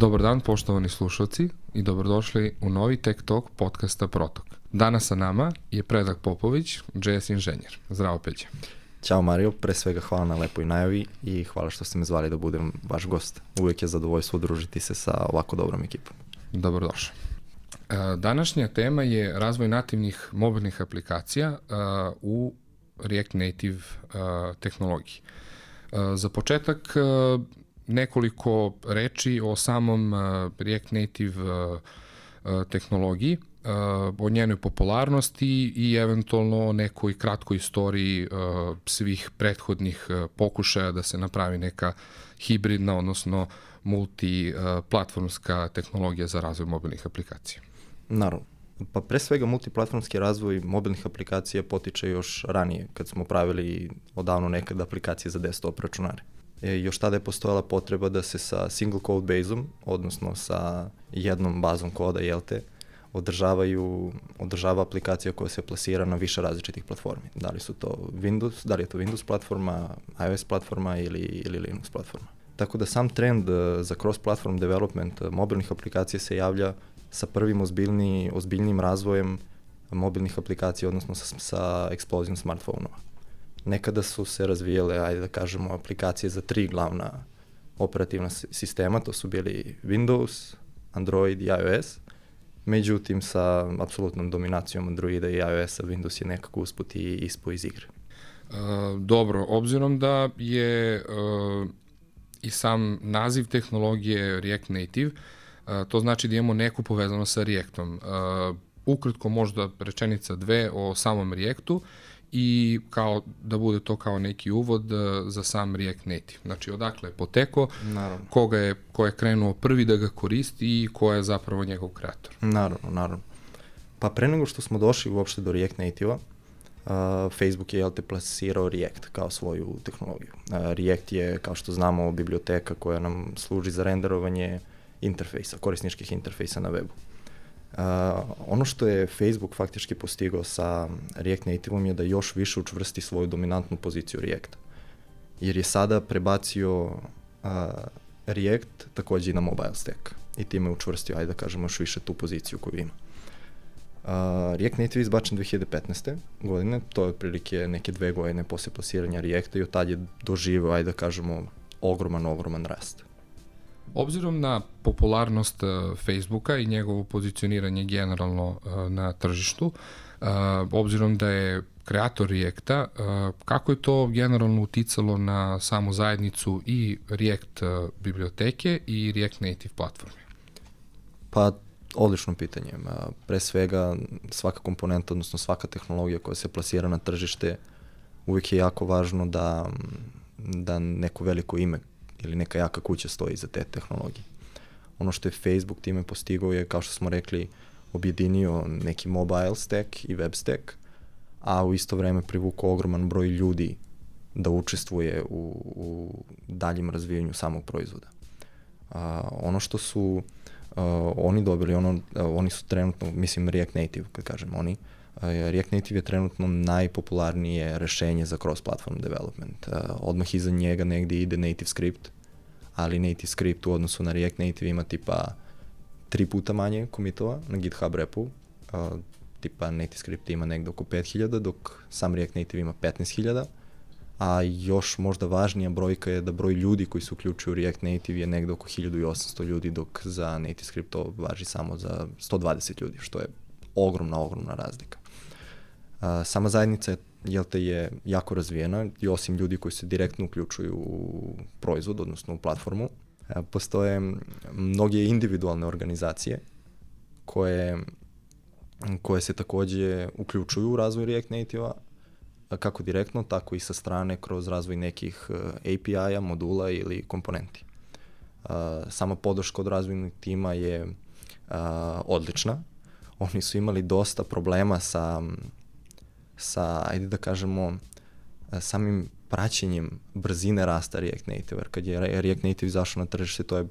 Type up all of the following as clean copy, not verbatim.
Dobar dan, poštovani slušalci, i dobrodošli u novi Tech Talk podcasta Protok. Danas sa nama je Predrag Popović, JS inženjer. Zdravo, Peđa. Ćao Mario, pre svega hvala na lepoj najavi i hvala što ste me zvali da budem vaš gost. Uvijek je zadovoljstvo udružiti se sa ovako dobrom ekipom. Dobrodošli. Današnja tema je razvoj nativnih mobilnih aplikacija u React Native tehnologiji. Za početak nekoliko reči o samom React Native tehnologiji, o njenoj popularnosti i eventualno o nekoj kratkoj istoriji svih prethodnih pokušaja da se napravi neka hibridna, odnosno multiplatformska tehnologija za razvoj mobilnih aplikacija. Naravno. Pa pre svega multiplatformski razvoj mobilnih aplikacija potiče još ranije, kad smo pravili odavno nekad aplikacije za desktop računare. Još tada je postojala potreba da se sa single code baseom, odnosno sa jednom bazom koda, održava aplikacija koja se plasira na više različitih platformi. Da li je to Windows platforma, iOS platforma ili Linux platforma. Tako da sam trend za cross-platform development mobilnih aplikacija se javlja sa prvim ozbiljnim razvojem mobilnih aplikacija, odnosno sa eksplozijom smartphone-ova. Nekada su se razvijale, ajde da kažemo, aplikacije za 3 glavna operativna sistema, to su bili Windows, Android i iOS. Međutim, sa apsolutnom dominacijom Androida i iOS-a, Windows je nekako usput i ispao iz igre. Dobro, obzirom da je i sam naziv tehnologije React Native, to znači da imamo neku povezano sa Reactom. Ukratko možda rečenica dve o samom Reactu i da bude to kao neki uvod za sam React Native. Znači, odakle je potekao, ko je krenuo prvi da ga koristi i ko je zapravo njegov kreator. Naravno. Pa pre nego što smo došli uopšte do React Native-a, Facebook je plasirao React kao svoju tehnologiju. React je, kao što znamo, biblioteka koja nam služi za renderovanje interfejsa, korisničkih interfejsa na webu. Ono što je Facebook faktički postigao sa React Native-om je da još više učvrsti svoju dominantnu poziciju Reacta. Jer je sada prebacio React takođe i na mobile stack. I time je učvrstio, ajde da kažemo, još više tu poziciju koju ima. React Native je izbačen 2015. godine, to je otprilike neke 2 godine posle plasiranja Reacta i od tad je doživeo, ajde da kažemo, ogroman rast. Obzirom na popularnost Facebooka i njegovo pozicioniranje generalno na tržištu, obzirom da je kreator Reacta, kako je to generalno uticalo na samu zajednicu i React biblioteke i React Native platforme? Pa, odlično pitanje. Pre svega, svaka komponenta, odnosno svaka tehnologija koja se plasira na tržište, uvijek je jako važno da neko veliko ime ili neka jaka kuća stoji iza te tehnologije. Ono što je Facebook time postigao je, kao što smo rekli, objedinio neki mobile stack i web stack, a u isto vreme privukao ogroman broj ljudi da učestvuje u daljem razvijanju samog proizvoda. Ono što su oni dobili, oni su trenutno, mislim React Native, kad kažem oni, React Native je trenutno najpopularnije rešenje za cross-platform development. Odmah iza njega negdje ide NativeScript, ali NativeScript u odnosu na React Native ima tipa 3 puta manje commitova na GitHub repu. Tipa NativeScript ima negdje oko 5000, dok sam React Native ima 15000. A još možda važnija brojka je da broj ljudi koji se uključuju u React Native je negdje oko 1800 ljudi, dok za NativeScript to važi samo za 120 ljudi, što je ogromna razlika. Sama zajednica je jako razvijena i osim ljudi koji se direktno uključuju u proizvod, odnosno u platformu, postoje mnoge individualne organizacije koje se takođe uključuju u razvoj React Native-a, kako direktno, tako i sa strane kroz razvoj nekih API-a, modula ili komponenti. Sama podrška od razvojnog tima je odlična. Oni su imali dosta problema sa, ajde da kažemo, samim praćenjem brzine rasta React Native. Jer kad je React Native izašao na tržište, to je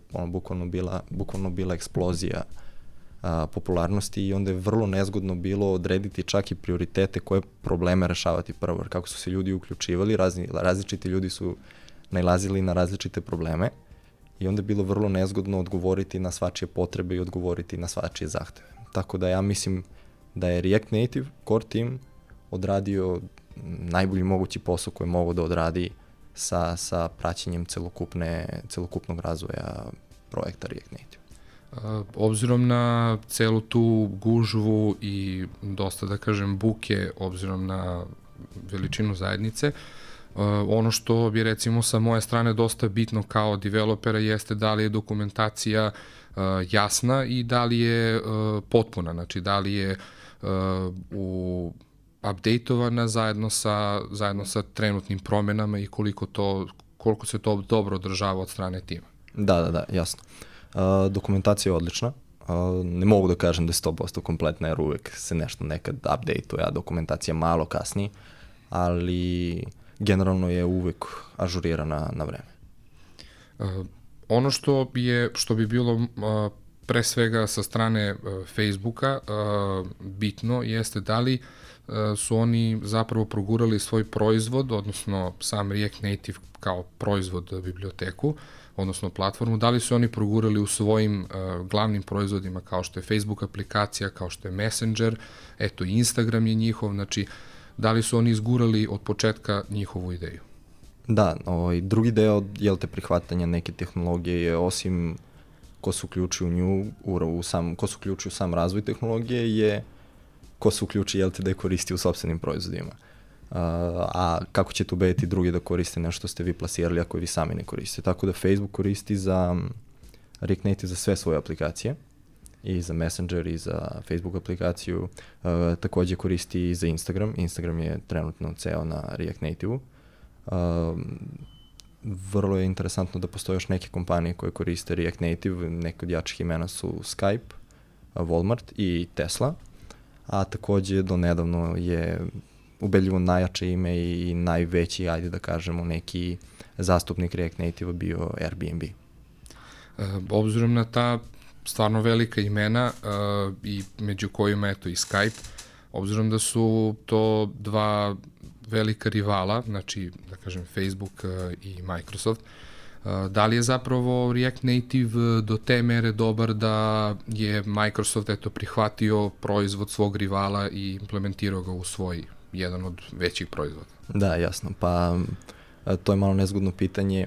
bukvalno bila eksplozija popularnosti i onda je vrlo nezgodno bilo odrediti čak i prioritete koje probleme rešavati prvo. Jer kako su se ljudi uključivali, različiti ljudi su nailazili na različite probleme i onda je bilo vrlo nezgodno odgovoriti na svačije potrebe i odgovoriti na svačije zahteve. Tako da ja mislim da je React Native core team odradio najbolji mogući posao koji je mogao da odradi sa praćenjem celokupnog razvoja projekta React Native. Obzirom na celu tu gužvu i dosta, da kažem, buke, obzirom na veličinu zajednice, ono što bi recimo sa moje strane dosta bitno kao developera jeste da li je dokumentacija jasna i da li je potpuna, znači da li je updateovana zajedno sa trenutnim promenama i koliko se to dobro održava od strane tima. Da, jasno. Dokumentacija je odlična. Ne mogu da kažem da je 100% kompletna, jer uvek se nešto nekad update-uje, a dokumentacija malo kasni, ali generalno je uvek ažurirana na vreme. Ono što bi bilo pre svega sa strane Facebooka bitno jeste da li su oni zapravo progurali svoj proizvod, odnosno sam React Native kao proizvod biblioteku, odnosno platformu, da li su oni progurali u svojim glavnim proizvodima kao što je Facebook aplikacija, kao što je Messenger, eto Instagram je njihov, znači da li su oni izgurali od početka njihovu ideju? Da, drugi deo prihvatanja neke tehnologije je, osim ko se uključi u nju, ko se uključi u sam razvoj tehnologije, je ko se uključi da je koristi u sopstvenim proizvodima. A kako ćete ubediti drugi da koriste nešto što ste vi plasirali ako vi sami ne koristite. Tako da Facebook koristi za React Native za sve svoje aplikacije, i za Messenger i za Facebook aplikaciju, takođe koristi i za Instagram. Instagram je trenutno ceo na React Native-u. Vrlo je interesantno da postoje još neke kompanije koje koriste React Native, neke od jačih imena su Skype, Walmart i Tesla, a takođe do nedavno je ubedljivo najjače ime i najveći, ajde da kažemo, neki zastupnik React Native bio Airbnb. Obzirom na ta stvarno velika imena i među kojima eto i Skype, obzirom da su to dva velika rivala, znači da kažem Facebook i Microsoft, da li je zapravo React Native do te mere dobar da je Microsoft eto prihvatio proizvod svog rivala i implementirao ga u svoj jedan od većih proizvoda? Da, jasno, pa to je malo nezgodno pitanje.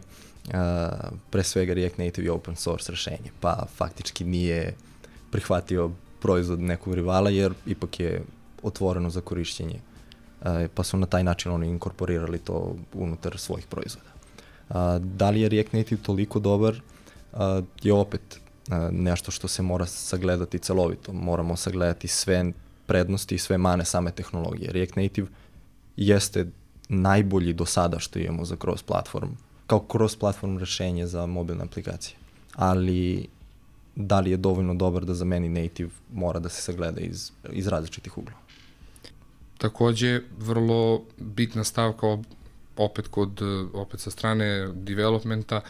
Pre svega React Native je open source rešenje, pa faktički nije prihvatio proizvod nekog rivala, jer ipak je otvoreno za korišćenje, pa su na taj način oni inkorporirali to unutar svojih proizvoda. Da li je React Native toliko dobar, je opet nešto što se mora sagledati celovito. Moramo sagledati sve prednosti i sve mane same tehnologije. React Native jeste najbolji do sada što imamo za cross-platform, kao cross-platform rešenje za mobilne aplikacije. Ali da li je dovoljno dobar da zameni native, mora da se sagleda iz različitih uglova. Takođe, vrlo bitna stavka opet sa strane developmenta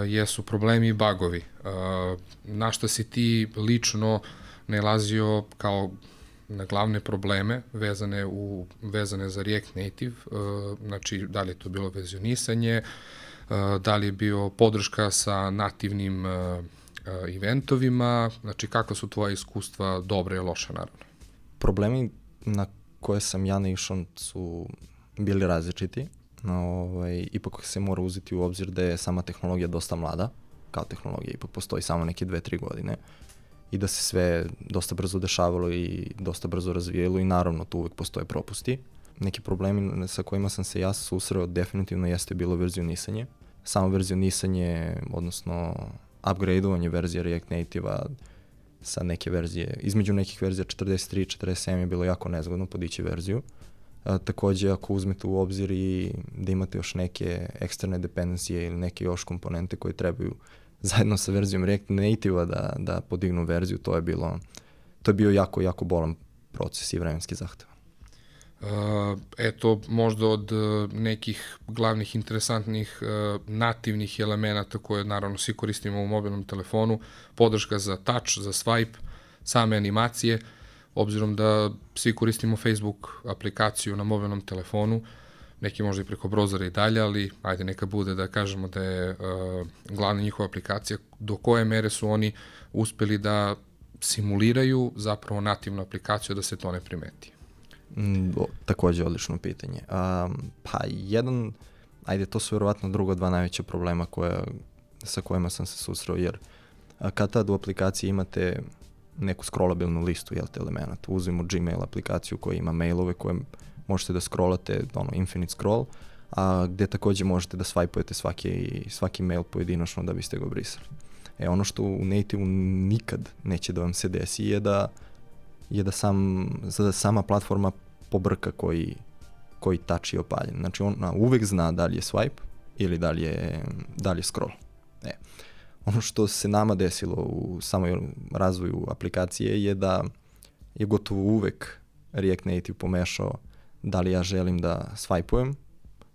jesu problemi i bugovi. Na šta si ti lično nailazio kao na glavne probleme vezane za React Native, znači da li je to bilo verzionisanje, da li je bio podrška sa nativnim eventovima, znači kakva su tvoja iskustva, dobra i loša naravno? Problemi na koje sam ja naišao su bili različiti. Ipak se mora uzeti u obzir da je sama tehnologija dosta mlada, kao tehnologija ipak postoji samo neke 2-3 godine i da se sve dosta brzo dešavalo i dosta brzo razvijelo i naravno tu uvek postoje propusti. Neki problemi sa kojima sam se ja susreo definitivno jeste bilo verzionisanje. Samo verzionisanje, odnosno upgradeovanje verzije React Native-a sa neke verzije, između nekih verzija 43 i 47 je bilo jako nezgodno podići verziju. Takođe, ako uzmete u obzir i da imate još neke eksterne dependencije ili neke još komponente koje trebaju zajedno sa verzijom React Native-a da podignu verziju, to je bio jako, jako bolan proces i vremenski zahtev. Eto, možda od nekih glavnih interesantnih nativnih elemenata koje naravno svi koristimo u mobilnom telefonu, podrška za touch, za swipe, same animacije, obzirom da svi koristimo Facebook aplikaciju na mobilnom telefonu, neki možda i preko brozera i dalje, ali ajde neka bude da kažemo da je glavna njihova aplikacija, do koje mere su oni uspeli da simuliraju zapravo nativnu aplikaciju da se to ne primeti? Takođe odlično pitanje. To su verovatno druga dva najveća problema sa kojima sam se susreo, jer kad tad u aplikaciji imate neku scrollabilnu listu elemenata, uzmimo Gmail aplikaciju koja ima mailove koje možete da scrollate, infinite scroll, a gde takođe možete da swipujete svaki mail pojedinačno da biste ga brisali. Ono što u native-u nikad neće da vam se desi je da sama platforma pobrka koji touch je opaljen. Znači ona uvek zna da li je swipe ili da li je scroll. Ono što se nama desilo u samoj razvoju aplikacije je da je gotovo uvek React Native pomešao da li ja želim da swipeujem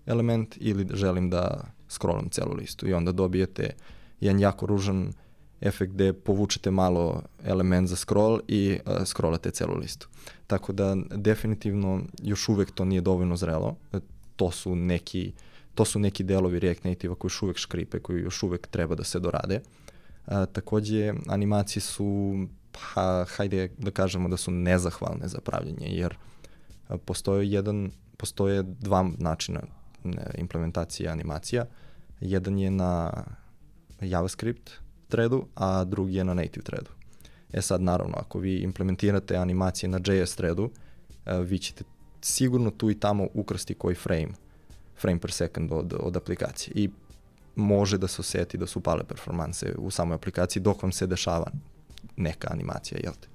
element ili želim da scrollam celu listu, i onda dobijete jedan jako ružan efekt gde povučete malo element za scroll i scrollate celu listu. Tako da definitivno još uvek to nije dovoljno zrelo. To su neki delovi React Native-a koji još uvek škripe, koji još uvek treba da se dorade. Takođe, animacije su, hajde da kažemo da su nezahvalne za pravljenje, jer postoje dva načina implementacije animacija. Jedan je na JavaScript threadu, a drugi je na native threadu. Sad, naravno, ako vi implementirate animacije na JS threadu, vi ćete sigurno tu i tamo ukrsti koji frame per second od aplikacije, i može da se oseti da su pale performanse u samoj aplikaciji dok vam se dešava neka animacija, jel te?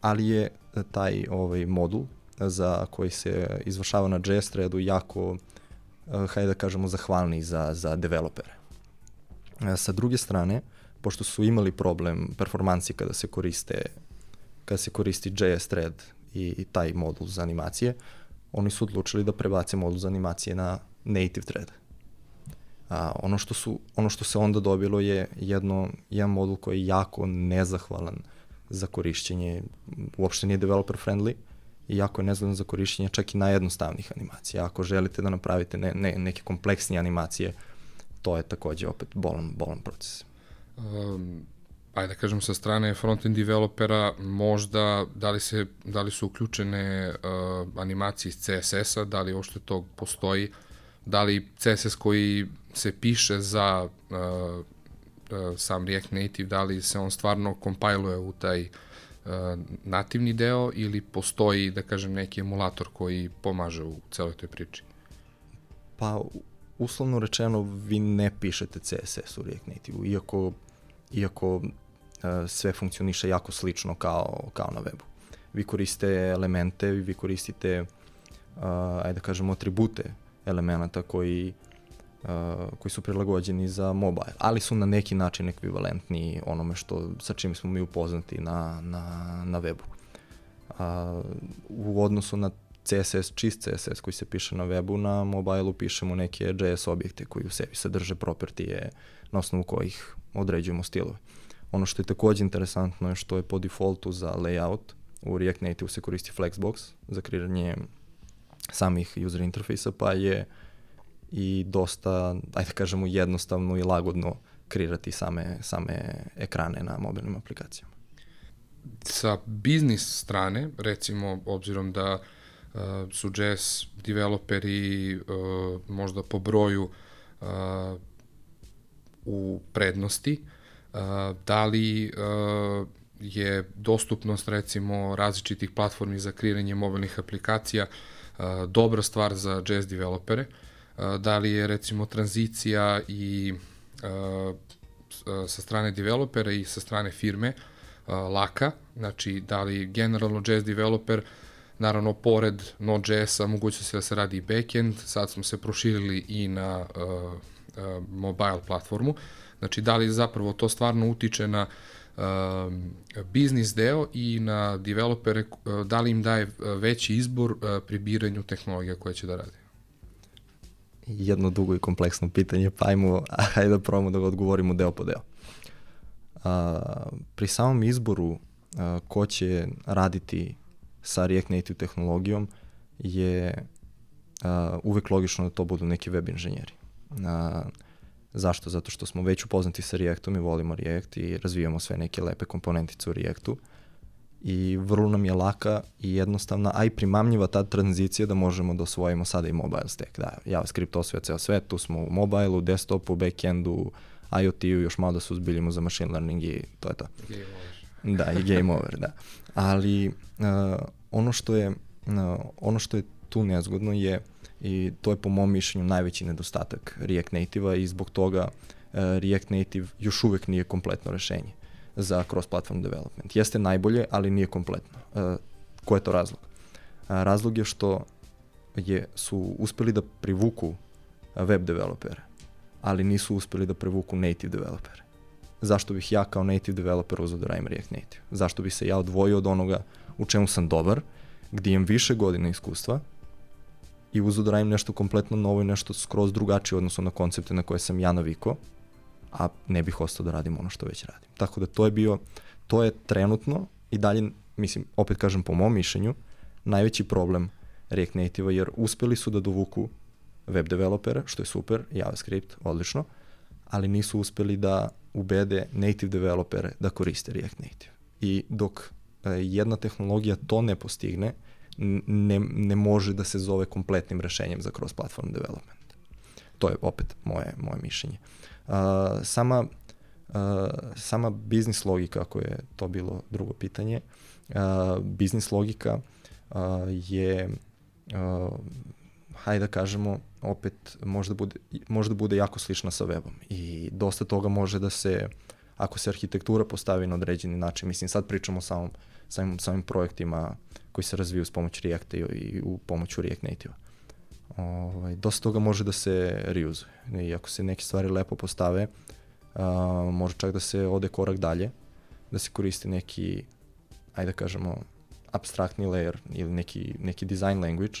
Ali je taj modul za koji se izvršava na JS threadu jako, hajde da kažemo, zahvalni za developere. Sa druge strane, pošto su imali problem performansi kada se koristi JS thread i taj modul za animacije, oni su odlučili da prebace modul za animacije na native thread. Ono što se onda dobilo je jedan modul koji je jako nezahvalan za korišćenje, uopšte nije developer friendly, i jako je nezahvalan za korišćenje čak i najjednostavnijih animacija. Ako želite da napravite neke kompleksnije animacije, to je takođe opet bolan proces. Ajde da kažem, sa strane frontend developera, možda da li su uključene animacije iz CSS-a, da li uopšte to postoji, da li CSS koji se piše za sam React Native, da li se on stvarno kompiluje u taj nativni deo, ili postoji, da kažem, neki emulator koji pomaže u celoj toj priči? Pa, uslovno rečeno, vi ne pišete CSS u React Native-u, iako sve funkcioniše jako slično kao na webu. Vi koristite elemente, vi koristite, ajde da kažemo, atribute elemenata koji su prilagođeni za mobile, ali su na neki način ekvivalentni onome sa čim smo mi upoznati na webu. U odnosu na CSS, čist CSS koji se piše na webu, na mobileu pišemo neke JS objekte koji u sebi sadrže propertije na osnovu kojih određujemo stilove. Ono što je takođe interesantno je što je po defaultu za layout u React Native se koristi Flexbox za kreiranje samih user interfejsa, pa je i dosta, ajde da kažemo, jednostavno i lagodno kreirati same ekrane na mobilnim aplikacijama. Sa biznis strane, recimo, obzirom da su JS developeri možda po broju u prednosti, da li je dostupnost, recimo, različitih platformi za kreiranje mobilnih aplikacija dobra stvar za JS developere? Da li je, recimo, tranzicija i sa strane developera i sa strane firme laka? Znači, da li generalno JS developer, naravno, pored Node.js-a mogućnosti da se radi i backend, sad smo se proširili i na mobile platformu. Znači, da li zapravo to stvarno utiče na biznis deo i na developere, da li im daje veći izbor pri biranju tehnologija koje će da rade? Jedno dugo i kompleksno pitanje, pa hajde da probamo da ga odgovorimo deo po deo. Pri samom izboru ko će raditi sa React Native tehnologijom je uvek logično da to budu neki web inženjeri. Zašto? Zato što smo već upoznati sa Reactom i volimo React i razvijamo sve neke lepe komponentice u Reactu i vrlo nam je laka i jednostavna, a i primamljiva ta tranzicija da možemo da osvojimo sada i mobile stack. Da, JavaScript osvaja ceo svet, tu smo u mobileu, desktopu, backendu, IoT-u, još malo da se uzbiljimo za machine learning i to je to. Game over. Da, i game over, da. Ali ono što je tu nezgodno je, i to je po mom mišljenju najveći nedostatak React Native-a i zbog toga React Native još uvek nije kompletno rešenje za cross-platform development. Jeste najbolje, ali nije kompletno. Ko je to razlog? Razlog je što su uspeli da privuku web developere, ali nisu uspeli da privuku native developere. Zašto bih ja kao native developer uzeo da radim React Native? Zašto bih se ja odvojio od onoga u čemu sam dobar, gdje imam više godina iskustva i uzeo da radim nešto kompletno novo i nešto skroz drugačije odnosno na koncepte na koje sam ja navikao, a ne bih ostao da radim ono što već radim. Tako da to je trenutno i dalje, mislim, opet kažem po mom mišljenju, najveći problem React Native-a, jer uspeli su da dovuku web developera, što je super, JavaScript, odlično, ali nisu uspeli da ubede native developere da koriste React Native. I dok jedna tehnologija to ne postigne, ne može da se zove kompletnim rešenjem za cross-platform development. To je opet moje mišljenje. Sama biznis logika, ako je to bilo drugo pitanje, biznis logika je, hajde da kažemo, opet može da bude jako slična sa webom i dosta toga može da se, ako se arhitektura postavi na određeni način, mislim sad pričamo o samim projektima koji se razviju s pomoću Reacta i u pomoću React Native-a. Dosta toga može da se reuzuje i ako se neke stvari lepo postave, može čak da se ode korak dalje, da se koristi neki, ajde da kažemo, abstraktni layer ili neki design language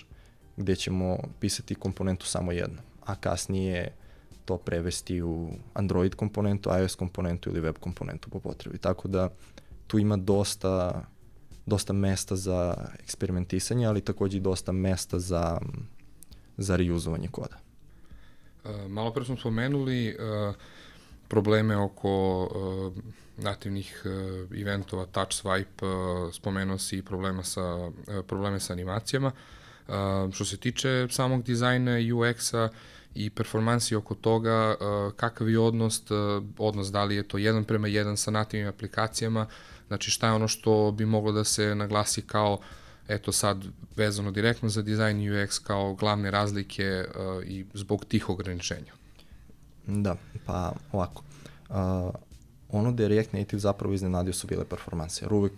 gde ćemo pisati komponentu samo jedno, a kasnije to prevesti u Android komponentu, iOS komponentu ili web komponentu po potrebi. Tako da tu ima dosta mesta za eksperimentisanje, ali takođe i dosta mesta za reuzovanje koda. Malo pre smo spomenuli probleme oko nativnih eventova, touch swipe, spomenuo si probleme sa animacijama. Što se tiče samog dizajna UX-a i performansi oko toga, kakav je odnos, da li je to 1:1 sa nativnim aplikacijama, znači šta je ono što bi moglo da se naglasi kao, eto sad vezano direktno za dizajn UX kao glavne razlike i zbog tih ograničenja? Da, pa ovako. Ono da je React Native zapravo iznenadio su bile performanse, jer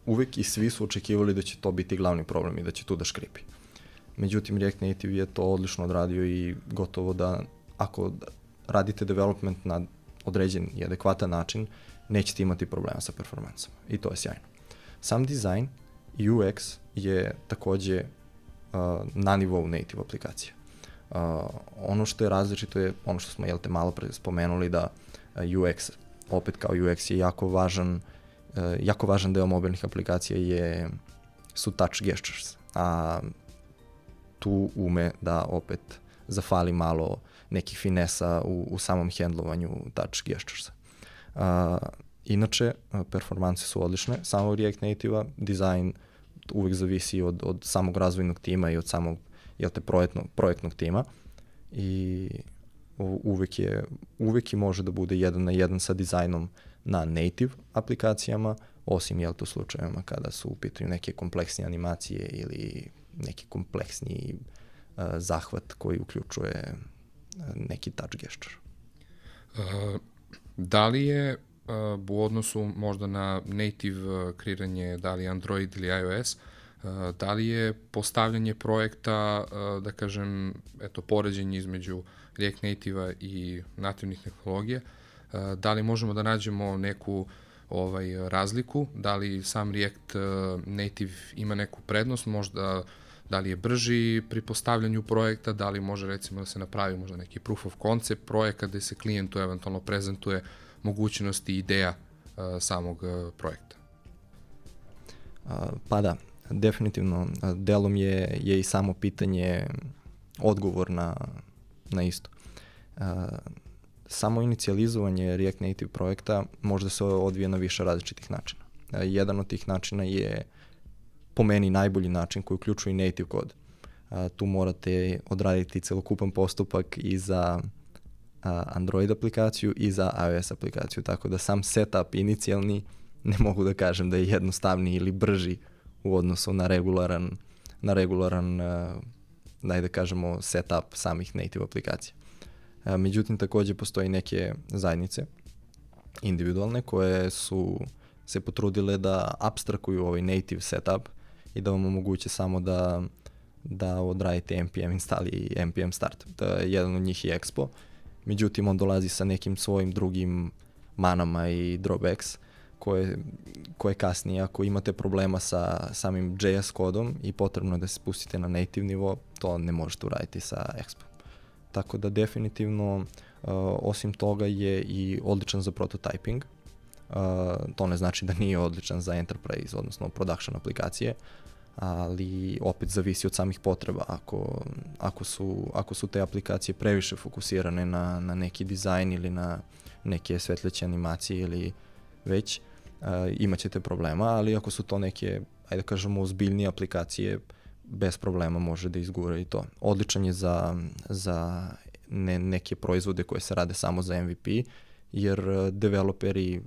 uvek i svi su očekivali da će to biti glavni problem i da će tu da škripi. Međutim, React Native je to odlično odradio i gotovo da ako radite development na određen i adekvatan način, nećete imati problema sa performansama i to je sjajno. Sam dizajn i UX je takođe na nivou native aplikacija. Ono što je različito je ono što smo malo pre spomenuli da UX, opet kao UX je jako važan deo mobilnih aplikacija su touch gestures, a tu ume da opet zafali malo nekih finesa u samom hendlovanju touch gesturesa. Inače, performanse su odlične, samo React Native-a, dizajn uvek zavisi od samog razvojnog tima i od samog projektnog tima i uvek može da bude 1:1 sa dizajnom na native aplikacijama, osim u slučajevima kada su u pitanju neke kompleksnije animacije ili neki kompleksniji zahvat koji uključuje neki touch gesture. Da li je u odnosu možda na native kreiranje, da li Android ili iOS, da li je postavljanje projekta, da kažem, poređenje između React Native-a i nativnih tehnologija, da li možemo da nađemo neku razliku, da li sam React Native ima neku prednost, možda da li je brži pri postavljanju projekta, da li može recimo da se napravi možda neki proof of concept projekta gde se klijentu eventualno prezentuje mogućnosti i ideja samog projekta. Pa da, definitivno delom je i samo pitanje odgovor na isto. Samo inicijalizovanje React Native projekta može se odvije na više različitih načina. Jedan od tih načina je po meni najbolji način koji uključuje i native kod. Tu morate odraditi celokupan postupak i za Android aplikaciju i za iOS aplikaciju, tako da sam setup inicijalni ne mogu da kažem da je jednostavniji ili brži u odnosu na regularan da kažemo setup samih native aplikacija. Međutim, takođe postoji neke zajednice individualne koje su se potrudile da apstrakuju ovaj native setup i da vam omoguće samo da odradite npm install i npm start. Jedan od njih je Expo, međutim on dolazi sa nekim svojim drugim manama i drawbacks koje kasnije, ako imate problema sa samim JS kodom i potrebno je da se spustite na native nivo, to ne možete uraditi sa Expo. Tako da definitivno osim toga je i odličan za prototyping. To ne znači da nije odličan za enterprise, odnosno production aplikacije, ali opet zavisi od samih potreba. Ako su te aplikacije previše fokusirane na neki dizajn ili na neke svetleće animacije ili već, imat ćete problema, ali ako su to neke, ajde kažemo, ozbiljnije aplikacije, bez problema može da izgura i to. Odličan je za neke proizvode koje se rade samo za MVP, jer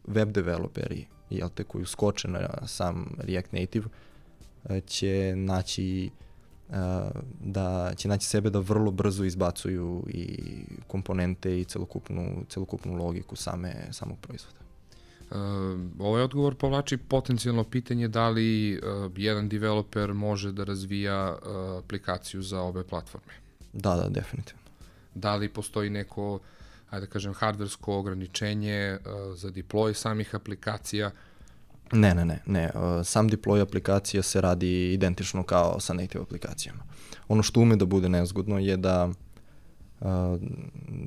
web developeri, koji uskoče na sam React Native, će naći sebe da vrlo brzo izbacuju i komponente i celokupnu logiku samog proizvoda. Ovaj odgovor povlači potencijalno pitanje da li jedan developer može da razvija aplikaciju za obe platforme. Da, definitivno. Da li postoji neko, ajde da kažem, hardversko ograničenje za deploy samih aplikacija? Ne. Sam deploy aplikacija se radi identično kao sa native aplikacijama. Ono što ume da bude nezgodno je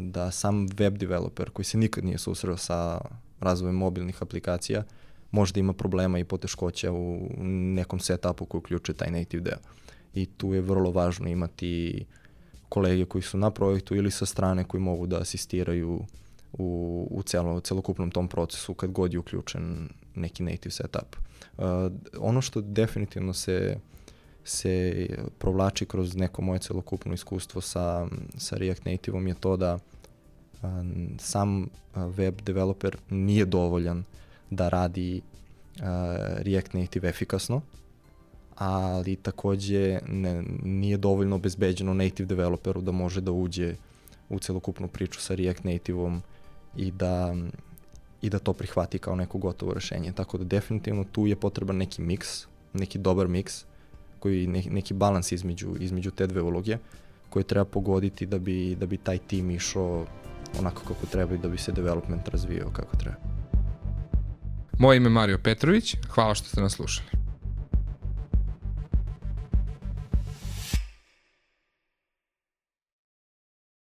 da sam web developer koji se nikad nije susreo sa razvojem mobilnih aplikacija možda ima problema i poteškoća u nekom setupu koji uključuje taj native deo. I tu je vrlo važno imati kolege koji su na projektu ili sa strane koji mogu da asistiraju u celokupnom tom procesu kad god je uključen neki native setup. Ono što definitivno se provlači kroz neko moje celokupno iskustvo sa React Native-om je to da sam web developer nije dovoljan da radi React Native efikasno, ali takođe nije dovoljno obezbeđeno native developeru da može da uđe u celokupnu priču sa React Native-om i da to prihvati kao neko gotovo rešenje. Tako da definitivno tu je potreban neki miks, neki dobar miks, neki balans između te dve uloge koje treba pogoditi da bi taj tim išao onako kako treba i da bi se development razvijao kako treba. Moje ime je Mario Petrović, hvala što ste nas slušali.